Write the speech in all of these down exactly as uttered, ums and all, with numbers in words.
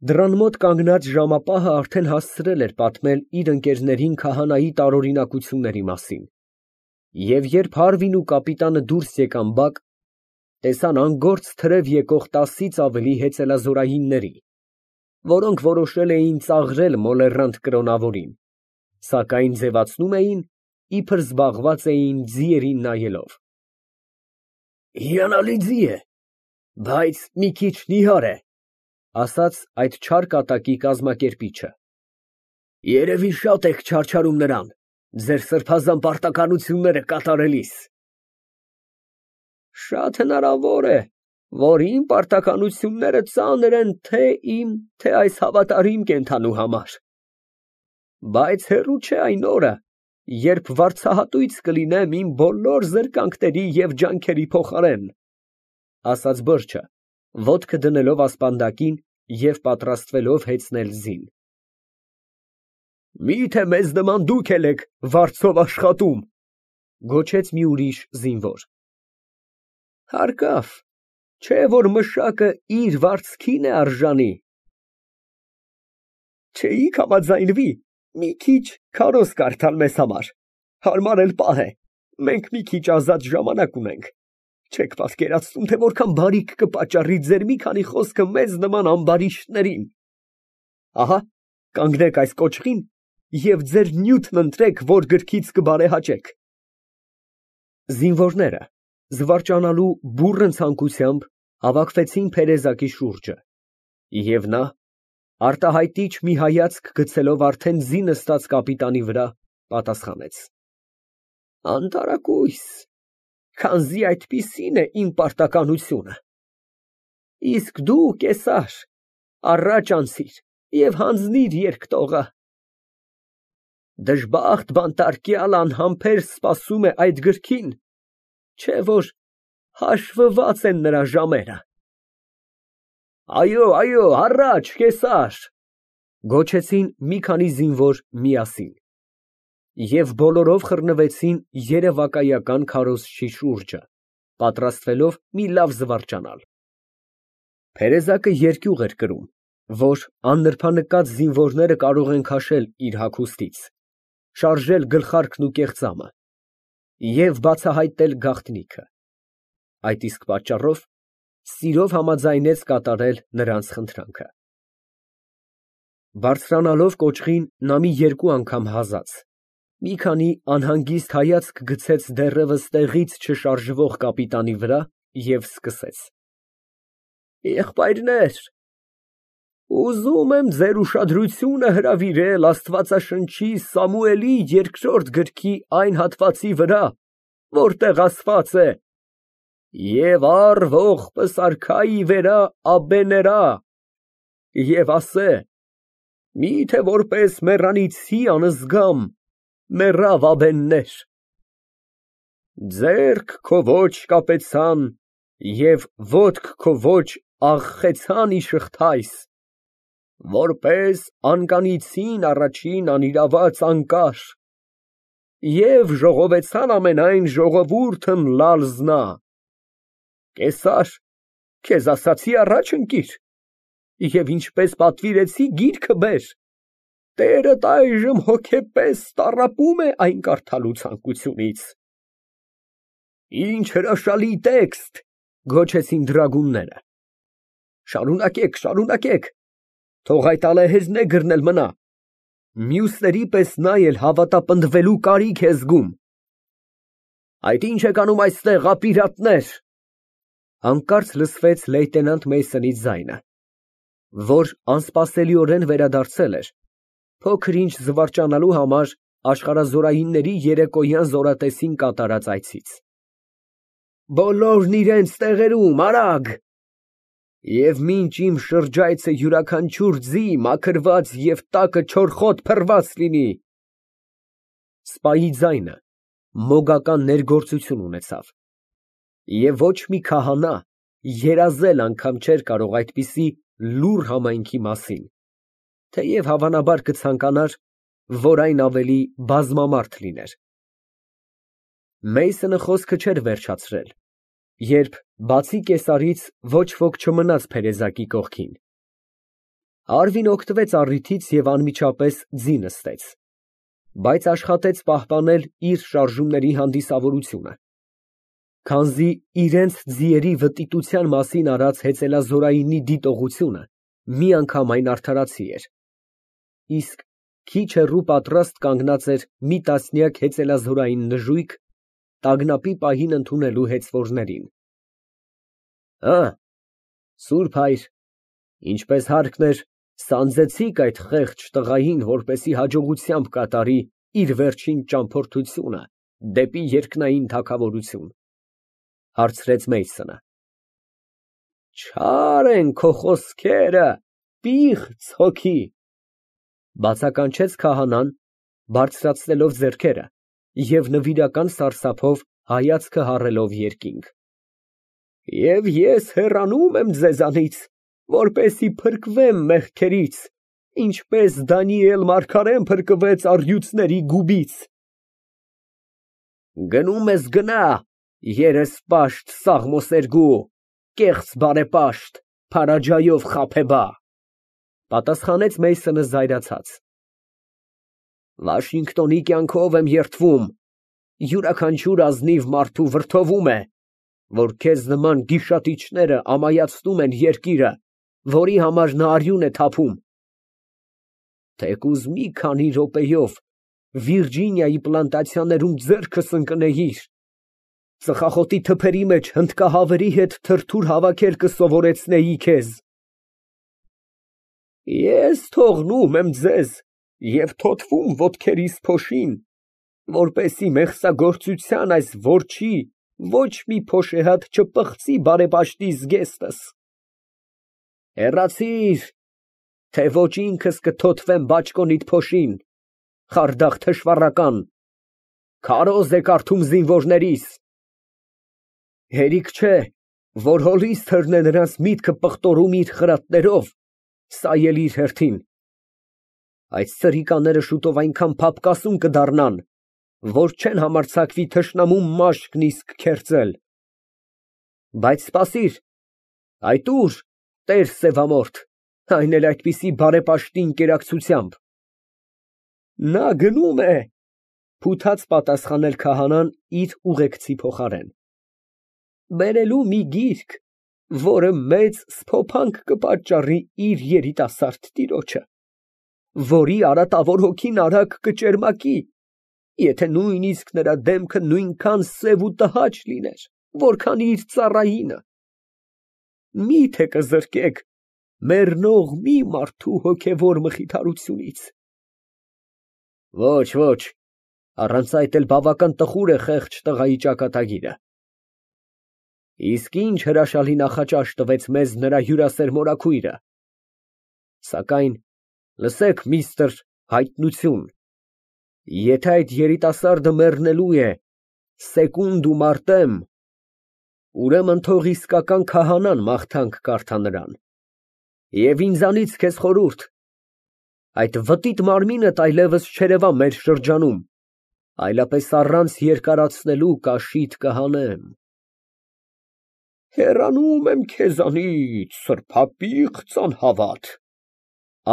Դռան մոտ կանգնած ժամապահը արդեն հասցրել էր պատմել իր ընկերներին քահանայի տարօրինակությունների մասին, և երբ Հարվին ու կապիտանը դուրս եկան բակ, տեսան անգործ թրև եկող տասից ավելի հեծելազորայինների, որոնք որոշել էին ծաղրել մոլեռանդ կրոնավորին, սակայն ձևացնում էին, իբր զբաղված էին ձիերին նայելով։ «Հիանալի ձի է, բայց մի քիչ նիհար է», ֊ ասաց այդ չար կատակի կազմակերպիչը։ «Երևի շատ եք չարչարում նրան, ձեր սրբազան պարտականությունները կատարելիս»։ «Շատ հնարավոր է, որ իմ պարտականությունները ծանր են թե իմ, թե այս հավատարիմ կենդանու համար, բայց հեռու չէ այն օրը, երբ վարձահատույց կլինեմ իմ բոլոր զրկանքների և ջանքերի փոխարեն», ֊ ասաց բրջը, ոտքը դնելով ասպանդակին և պատրաստվելով հեծնել ձին։ «Մի՞թե մեզ նման դուք էլ եք վարձով աշխատում, ֊ գոչեց մի ուրիշ զինվոր։ ֊ Հարկավ, չէ՞ որ մշակը իր վարձքին է արժանի։ ֊ Չէիք համաձայնվի մի քիչ քարոզ կարդալ մեզ համար, հարմար էլ պահ է, մենք մի քիչ ազատ ժամանակ ունենք, չեք պատկերացնում, թե որքան բարիք կպատճառի ձեր մի քանի խոսքը մեզ նման ամբարիշտներին։ Ահա կանգնեք այս կոճղին և ձեր նյութն ընտրեք, որ գրքից կբարեհաճեք։ Զինվորները, զվարճանալու բուռն ցանկությամբ, հավաքվեցին Փերեզակի շուրջը, և նա, արտահայտիչ մի հայացք գցելով արդեն ձի նստած կապիտանի վրա, պատասխանեց. Անտարակույս, քանզի այդպիսին է իմ պարտականությունը։ Իսկ դու, կեսար, առաջ անցիր և հանձնիր երկտողը։ Դժբախտ բանտարկյալ անհամբեր սպասում է այդ գրքին, չէ՞ որ հաշվված են նրա ժամերը։ Այո, այո, առաջ, կեսար, ֊ գոչեցին մի քանի զինվոր միասին, և բոլորով խռնվեցին երևակայական քարոզչի շուրջը, պատրաստվելով մի լավ զվարճանալ։ Փերեզակը երկյուղ էր կրում, որ աննրբանկած զինվորները կարող են քաշել իր հագուստից, շարժել գլխարկն ու կեղծամը և բացահայտել գաղտնիքը, այդ իսկ պատճառով սիրով համաձայնեց կատարել նրանց խնդրանքը։ Բարձրանալով կոճղին, նա մի երկու անգամ հազաց, մի քանի անհանգիստ հայացք գցեց դեռևս տեղից չշարժվող կապիտանի վրա և սկսեց. Եղբայրներ, ուզում եմ ձեր ուշադրությունը հրավիրել աստվածաշնչի Սամուելի երկրորդ գրքի այն հատվածի վրա, որտեղ ասված է. «Եվ առ ողբս արքայի վերա աբեներա, և ասե. մի՞թե որպես մեռանիցի անզգամ մեռավ աբեններ. ձեռք քո ոչ կապեցան և ոտք քո ոչ աղխեցան իշխթայս, որպես անկանիցին առաջին անիրաված անկար, և ժողովեցան ամենայն ժողովուրդն լալզնա. կեսար, քեզ ասացի առաջ ընկիր, և ինչպես պատվիրեցի գիրքը բեր, տերդ այժմ հոգեպես տառապում է այն կարդալու ցանկությունից։ Ինչ հրաշալի տեքստ, ֊ գոչեցին դրագունները։ Շարունակեք, շարունակեք, թող այդ ալեհերնեգրն էլ մնա, մյուսների պես նա էլ հավատապնդվելու կարիք է զգում։ Այդ ի՞նչ եք անում այստեղ, ապիրատներ։ Հանկարծ լսվեց լեյտենանտ Մեյսոնի ձայնը, որ անսպասելիորեն վերադարձել էր փոքր֊ինչ զվարճանալու համար աշխարհազորայինների երեկոյան զորատեսին կատարած այցից։ Բոլորն իրենց տեղերում, արագ, և մինչ իմ շրջայցը յուրաքանչյուր ձի մաքրված և տակը չորխոտ փռված լինի։ Սպայի ձայնը մոգական ներգործություն ունեցավ, և ոչ մի քահանա երազել անգամ չէր կարող այդպիսի լուռ համայնքի մասին, թեև հավանաբար կցանկանար, որ այն ավելի բազմամարդ լիներ։ Մեյսոնը խոսքը չէր վերջացրել, երբ բացի կեսարից ոչ ոք չմնաց Փերեզակի կողքին։ Արվին օգտվեց առիթից և անմիջապես ձի նստեց, բայց աշխատեց պահպանել իր շարժումների հանդիսավորությունը, քանզի իրենց ձիերի վտիտության մասին արած հեծելազորայինի դիտողությունը միանգամայն արդարացի էր, իսկ քիչ հեռու պատրաստ կանգնած էր մի տասնյակ հեծելազորային նժույգ տագնապի պահին ընդունելու հեծվորներին։ Հը, սուրբ հայր, ինչպես հարկն էր, սանձեցի՞ք այդ խեղճ տղային, որպեսզի հաջողությամբ կատարի իր վերջին ճամփորդությունը դեպի երկնային թագավորություն, հարցրեց Մեյսոնը։ Չար են քո խոսքերը, պիղծ հոգի, բացականչեց քահանան, բարձրացնելով ձեռքերը և նվիրական սարսափով հայացքը հառելով երկինք։ Եվ ես հեռանում եմ ձեզանից, որպեսզի փրկվեմ մեղքերից, ինչպես Դանիել մարգարեն փրկվեց առյուծների գուբից։ Գնում ես գնա, երեսպաշտ սաղմոսերգու, կեղծ բարեպաշտ, փարաջայով խաբեբա, պատասխանեց Մեյսոնը զայրացած։ Վաշինգտոնի կյանքով եմ երդվում, յուրաքանչյուր ազնիվ մարդու վրդովում է, որ քեզ նման գիշատիչները ամայացնում են երկիրը, որի համար նա արյուն է թափում։ Թեկուզ մի քանի րոպեով Վիրջինիայի պլանտացիաներում ձեռքս ընկնեիր, ծխախոտի թփերի մեջ հնդկահավերի հետ թրթուր հավաքել կսովորեցնեի քեզ։ Ես թողնում եմ ձեզ և թոթվում ոտքերիս փոշին, որպեսզի մեղսագործության այս որջի ոչ մի փոշեհատ չպղծի բարեպաշտի զգեստս։ Հեռացիր, թե ոչ ինքս կթոթվեմ բաճկոնիդ փոշին, խարդախ թշվառական, քարոզ է կարդում զինվորներիս։ Հերիք չէ, որ հոլիսթերն է նրանց միտքը պղտորում իր խրատներով, սա էլ իր հերթին։ Այդ սրիկաները շուտով այնքան փափկասուն կդառնան, որ չեն համարձակվի թշնամու մաշկն իսկ քերծել։ Բայց սպասիր, այդ ուր, տեր սևամորթ, այն էլ այդպիսի բարեպաշտի ընկերակցությամբ։ Նա գնում է, փութաց պատասխանել քահանան իր ուղեկցի փոխարեն, բերելու մի գիրք, որը մեծ սփոփանք կպատճառի իր երիտասարդ տիրոջը, որի արատավոր հոգին արագ կճերմակի, եթե նույնիսկ նրա դեմքը նույնքան սև ու տհաճ լիներ, որքան իր ծառայինը։ Մի՞թե կզրկեք մեռնող մի մարդու հոգևոր մխիթարությունից։ Ոչ, ոչ, առանց այդ էլ բավական տխուր է խեղճ տղայի ճակատագիրը։ Իսկ ինչ հրաշալի նախաճաշ տվեց մեզ նրա հյուրասեր մորաքույրը։ Սակայն լսեք, միստր հայտնություն, եթե այդ երիտասարդը մեռնելու է սեկունդ արտեմ, ուրեմն թող իսկական քահանան մաղթանք կարդա նրան, և ինձանից քեզ խորհուրդ, այդ վտիտ մարմինդ այլևս չերևա մեր շրջանում, այլապես առանց երկարացնելու կաշիդ կհանեմ։ Հեռանում եմ քեզանից, սրբապիղծ անհավատ,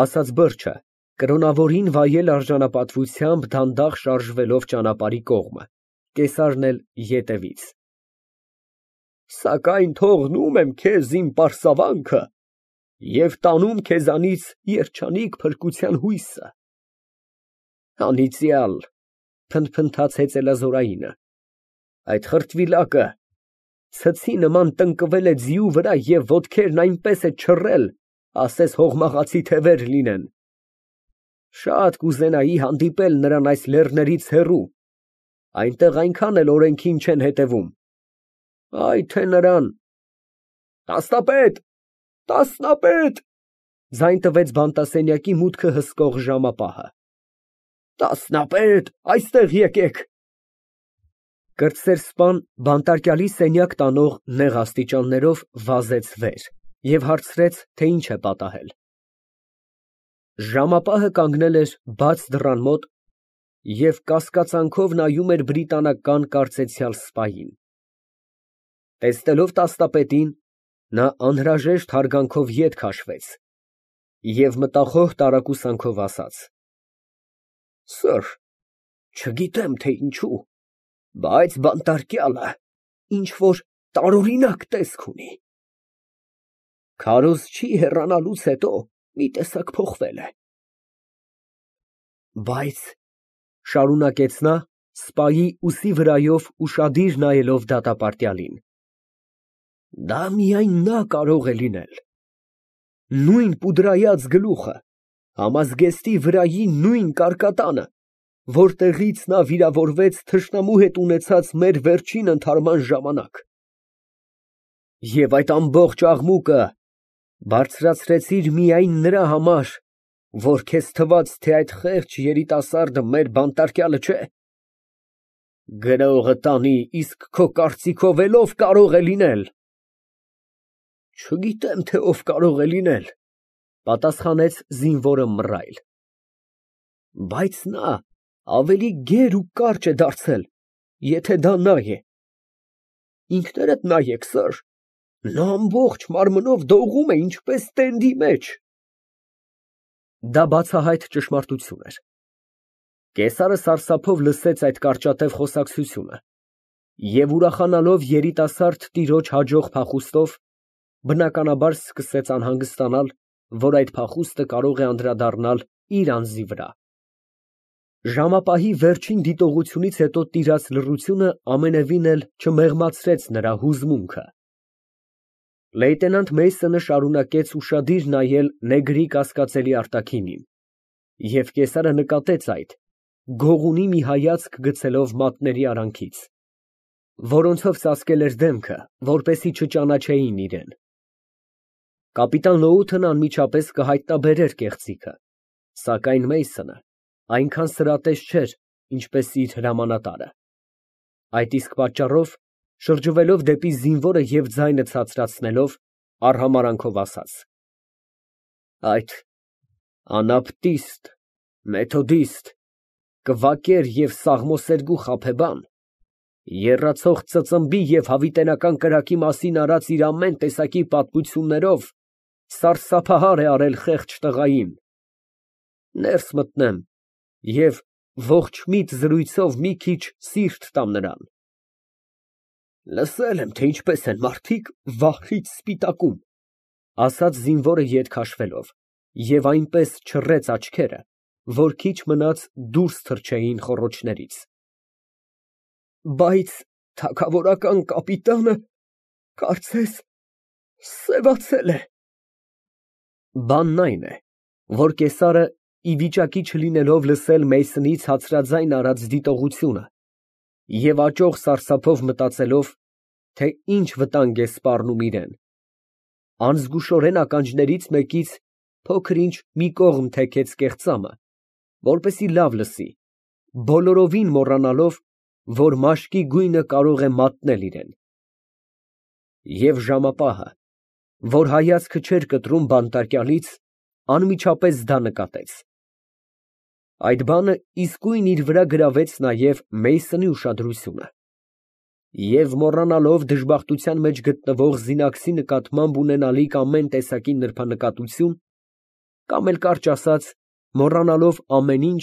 ասաց բրդը, կրոնավորին վայել արժանապատվությամբ դանդաղ շարժվելով ճանապարհի կողմը, կեսարն էլ ետևից։ Սակայն թողնում եմ քեզ իմ պարսավանքը և տանում քեզանից երջանիկ փրկության հույսը։ Անիծյալ, փնթփնթաց հեծելազորայինը, այդ խրտվիլակը ցցի նման տնկվել է ձիու վրա և ոտքերն այնպես է չռել, ասես հողմաղացի թևեր լինեն։ Շատ կուզենայի հանդիպել նրան այս լեռներից հեռու, այնտեղ այնքան էլ օրենքին չեն հետևում, ay թե նրան… Տասնապետ, տասնապետ, ձայն տվեց բանտասենյակի մուտքը հսկող ժամապահը։ Տասնապետ, այստեղ եկեք։ Կրտսեր սպան բանտարկյալի սենյակ տանող նեղ աստիճաններով վազեց վեր և հարցրեց, թե ինչ է պատահել։ Ժամապահը կանգնել էր բաց դռան մոտ և կասկածանքով նայում էր բրիտանական կարծեցյալ սպային։ Տեսնելով տասնապետին, նա անհրաժեշտ հարգանքով ետ քաշվեց Եվ մտախոհ տարակուսանքով ասաց. Սըր, չգիտեմ թե ինչու, բայց բանտարկյալը ինչ֊որ տարօրինակ տեսք ունի։ Քարոզ չի հեռանալուց հետո մի տեսակ փոխվել է։ Բայց, շարունակեց նա, սպայի ուսի վրայով ուշադիր նայելով դատապարտյալին, դա միայն նա կարող է լինել։ Նույն պուդրայած գլուխը, համազգեստի վրայի նույն կարկատանը, որտեղից նա վիրավորվեց թշնամու հետ ունեցած մեր վերջին ընդհարման ժամանակ։ Եվ այդ ամբողջ աղմուկը բարձրացրեցիր միայն նրա համար, որ քեզ թվաց, թե այդ խեղճ երիտասարդը մեր բանտարկյալը չէ։ Գրողը տանի, իսկ քո կարծիքով էլ ով կարող է լինել։ Չգիտեմ, թե ով կարող է լինել, պատասխանեց զինվորը մռայլ, բայց նա ավելի գեր ու կարճ է դարձել, եթե դա նա է։ Ինքներդ նայեք, սըր, նա ամբողջ մարմնով դողում է, ինչպես տենդի մեջ։ Դա բացահայտ ճշմարտություն էր։ Կեսարը սարսափով լսեց այդ կարճատև խոսակցությունը և ուրախանալով երիտասարդ տիրոջ հաջող փախուստով, բնականաբար սկսեց անհանգստանալ, որ այդ փախուստը կարող է անդրադառնալ իր անձի վրա։ Ժամապահի վերջին դիտողությունից հետո տիրած լռությունը ամենևին էլ չմեղմացրեց նրա հուզմունքը։ Լեյտենանտ Մեյսոնը շարունակեց ուշադիր նայել նեգրի կասկածելի արտաքինին, և կեսարը նկատեց այդ, գողունի մի հայացք գցելով մատների արանքից, որոնցով ծածկել էր դեմքը, որպեսզի չճանաչեին իրեն։ Կապիտան Լոութն անմիջապես կհայտնաբերեր կեղծիքը, սակայն Մեյսոնը այնքան սրատես չէր, ինչպես իր հրամանատարը։ Այդ իսկ պատճառով, շրջվելով դեպի զինվորը և ձայնը ցածրացնելով, արհամարհանքով ասաց. Այդ անաբտիստ, մեթոդիստ, կվակեր և սաղմոսերգու խաբեբան եռացող ծծմբի և հավիտենական կրակի մասին արած իր ամեն տեսակի պատմություններով սարսափահար է արել խեղճ տղային։ Ներս մտնեմ և ողջմիտ զրույցով մի քիչ սիրտ տամ նրան։ Լսել եմ, թե ինչպես են մարդիկ վախից սպիտակում, ասաց զինվորը ետ քաշվելով և այնպես չռեց աչքերը, որ քիչ մնաց դուրս թռչեին խոռոչներից։ Բայց թագավորական կապիտանը, կարծես, սևացել է։ Բանն այն է, որ կեսարը, ի վիճակի չլինելով լսել Մեյսոնի ցածրաձայն արած դիտողությունը և աճող սարսափով մտածելով, թե ինչ վտանգ է սպառնում իրան, անզգուշորեն ականջներից մեկից փոքր֊ինչ մի կողմ թեքեց կեղծամը, որպեսզի լավ լսի, բոլորովին մոռանալով, որ մաշկի գույնը կարող է մատնել իրան։ Եվ ժամապահը, որ հայացքը չէր կտրում բանտարկյալից, անմիջապես դա նկատեց։ Այդ բանը իսկույն իր վրա գրավեց նաև Մեյսոնի ուշադրությունը, և մոռանալով դժբախտության մեջ գտնվող զինակցի նկատմամբ ունենալիք ամեն տեսակի նրբանկատություն, կամ էլ կարճ ասած, մոռանալով ամեն ինչ,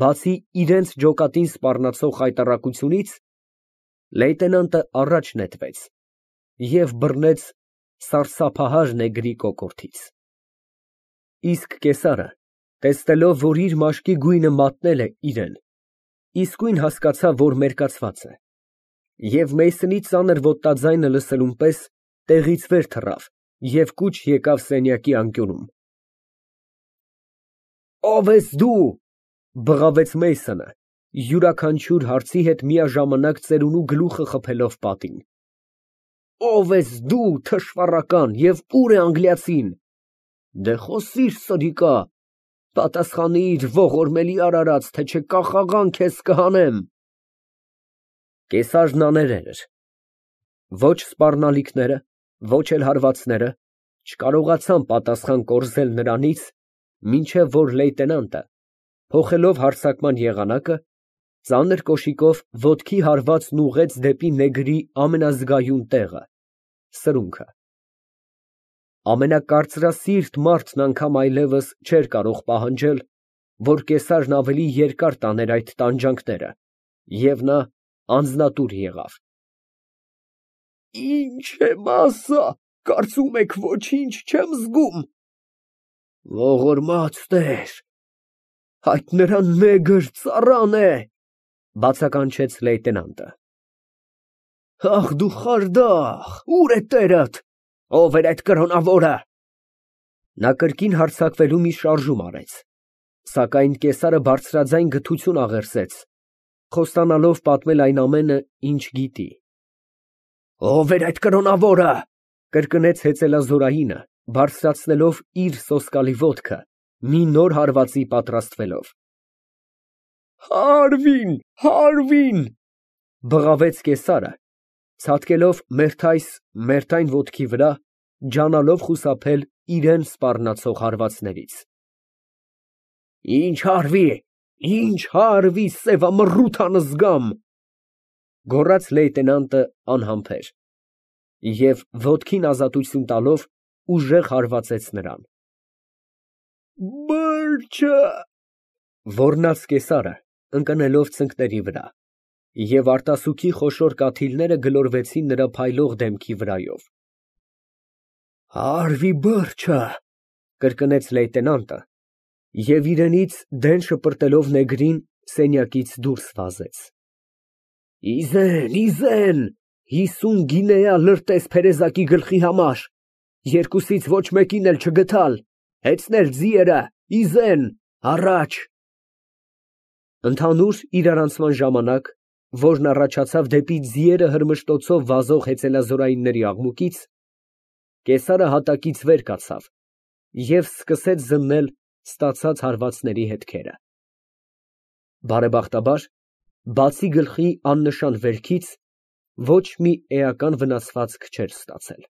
բացի իրենց ջոկատին սպառնացող խայտառակությունից, լեյտենանտը առաջ նետվեց և բռնեց սարսափահար նեգրի կոկորդից։ Իսկ կեսարը, տեսնելով, որ իր մաշկի գույնը մատնել է իրան, իսկույն հասկացավ, որ մերկացված է, և Մեյսոնի ծանր ոտնաձայնը լսելուն պես տեղից վեր թռավ և կուչ եկավ սենյակի անկյունում։ Ո՞վ ես դու, բղավեց Մեյսոնը, յուրաքանչյուր հարցի հետ միաժամանակ ծերունու գլուխը խփելով պատին։ Ո՞վ ես դու, թշվառական, և ո՞ւր է անգլիացին։ Դե խոսիր, սրիկա, պատասխանիր, ողորմելի արարած, թե չէ կախաղան քեզ կհանեմ։ Կեսարն աներել էր։ Ոչ սպառնալիքները, ոչ էլ հարվածները չկարողացան պատասխան կորզել նրանից, մինչև որ լեյտենանտը, փոխելով հարձակման եղանակը, ծանր կոշիկով ոտքի հարվածն ուղղեց դեպի նեգրի ամենազգայուն տեղը, սրունքը։ Ամենակարծրասիրտ մարդն անգամ այլևս չէր կարող պահանջել, որ կեսարն ավելի երկար տաներ այդ տանջանքները, և նա անձնատուր եղավ։ Ի՞նչ եմ ասա, կարծում եք ոչինչ չեմ զգում։ Ողորմած Տեր, այդ նրա նեգր ծառան է, բացականչեց լեյտենանտը։ Ախ դու խարդախ, ո՞ւր է տերդ, ով էր այդ կրոնավորը։ Նա կրկին հարձակվելու մի շարժում արեց, սակայն կեսարը բարձրաձայն գթություն աղերսեց, խոստանալով պատմել այն ամենը, ինչ գիտի։ Ո՞վ էր այդ կրոնավորը, կրկնեց հեծելազորայինը, բարձրացնելով իր սոսկալի ոտքը, մի նոր հարվածի պատրաստվելով։ Հարվին, Հարվին, բղավեց կեսարը, ցատկելով մերթ այս, մերթ այն ոտքի վրա, ջանալով խուսափել իրան սպառնացող հարվածներից։ Ինչ հարվի, ինչ հարվի, սևամռութ անզգամ, գոռաց լեյտենանտը անհամբեր, և ոտքին ազատություն տալով ուժեղ հարվածեց նրան։ Բրջը, ոռնաց կեսարը, ընկնելով ծնկների վրա, և արտասուքի խոշոր կաթիլները գլորվեցին նրա փայլող դեմքի վրայով։ Հարվի բրջը, կրկնեց լեյտենանտը, և իրենից դեն շպրտելով նեգրին սենյակից դուրս վազեց։ Իզեն, իզեն, հիսուն գինեա լրտես փերեզակի գլխի համար, երկուսից ոչ մեկին էլ չգտալ, հեծնել ձիերը, իզեն, առաջ։ Ընդհանուր իրարանցման ժամանակ, որն առաջացավ դեպի ձիերը հրմշտոցով վազող հեծելազորայինների աղմուկից, կեսարը հատակից վեր կացավ և սկսեց զննել ստացած հարվածների հետքերը։ Բարեբախտաբար, բացի գլխի աննշան վերքից, ոչ մի էական վնասվածք չէր ստացել։